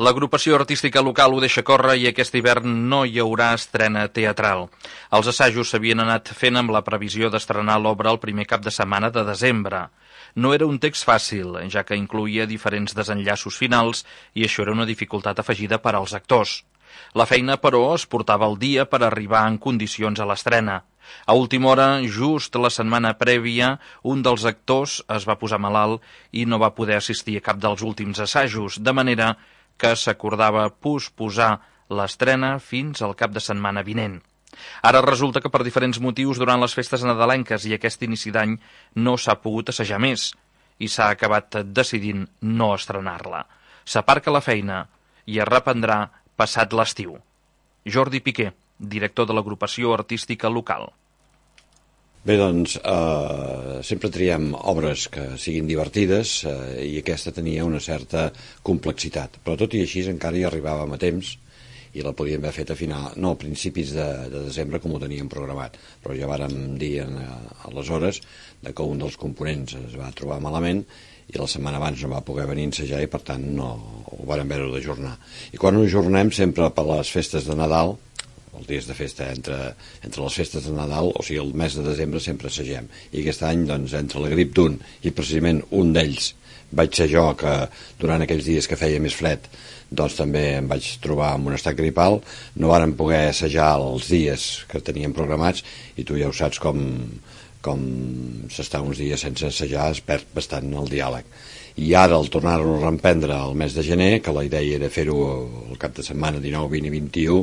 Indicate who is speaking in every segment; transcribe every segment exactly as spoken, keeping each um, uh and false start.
Speaker 1: L'agrupació artística local ho deixa córrer i aquest hivern no hi haurà estrena teatral. Els assajos s'havien anat fent amb la previsió d'estrenar l'obra el primer cap de setmana de desembre. No era un text fàcil, ja que incloïa diferents desenllaços finals i això era una dificultat afegida per als actors. La feina, però, es portava al dia per arribar en condicions a l'estrena. A última hora, just la setmana prèvia, un dels actors es va posar malalt i no va poder assistir a cap dels últims assajos, de manera que s'acordava posposar l'estrena fins al cap de setmana vinent. Ara resulta que per diferents motius durant les festes nadalenques i aquest inici d'any no s'ha pogut assajar més i s'ha acabat decidint no estrenar-la. S'aparca la feina i es reprendrà passat l'estiu. Jordi Piqué, director de l'agrupació artística local.
Speaker 2: Bé, doncs, eh, sempre triem obres que siguin divertides eh, i aquesta tenia una certa complexitat, però tot i així encara hi arribàvem a temps i la podíem haver fet a final, no a principis de, de desembre com ho teníem programat, però ja vàrem dir en, aleshores que un dels components es va trobar malament i la setmana abans no va poder venir a ensejar i per tant no ho vàrem haver d'ajornar. I quan ho ajornem sempre per les festes de Nadal, els dies de festa entre, entre les festes de Nadal, o sigui el mes de desembre sempre assagem, i aquest any doncs entre la grip d'un i precisament un d'ells vaig ser jo que durant aquells dies que feia més fred doncs també em vaig trobar amb un estat gripal, no vàrem poder assajar els dies que teníem programats i tu ja ho saps com, com s'està uns dies sense assajar es perd bastant el diàleg. I ara el tornar-ho a reemprendre el mes de gener, que la idea era fer-ho el cap de setmana dinou, vint i vint-i-u,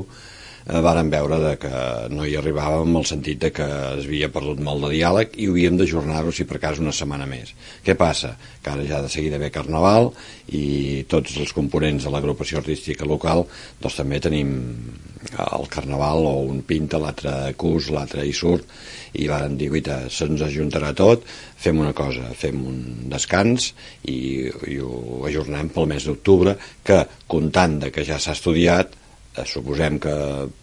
Speaker 2: vàrem veure de que no hi arribàvem en el sentit de que es havia perdut molt de diàleg i havíem d'ajornar-ho si per cas una setmana més. Què passa? Que ara ja de seguida ve Carnaval i tots els components de l'agrupació artística local doncs també tenim el Carnaval o un pinta, l'altre cus, l'altre hi surt i vàrem dir, guaita, se'ns ajuntarà tot, fem una cosa, fem un descans i, i ho ajornem pel mes d'octubre que comptant de que ja s'ha estudiat suposem que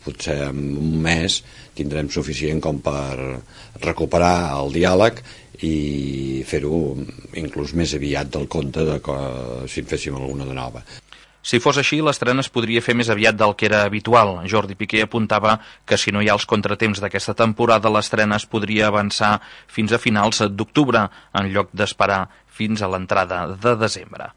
Speaker 2: potser en un mes tindrem suficient com per recuperar el diàleg i fer-ho inclús més aviat del compte de que, si en féssim alguna de nova.
Speaker 1: Si fos així, l'estrena es podria fer més aviat del que era habitual. Jordi Piqué apuntava que si no hi ha els contratemps d'aquesta temporada, l'estrena es podria avançar fins a finals d'octubre, en lloc d'esperar fins a l'entrada de desembre.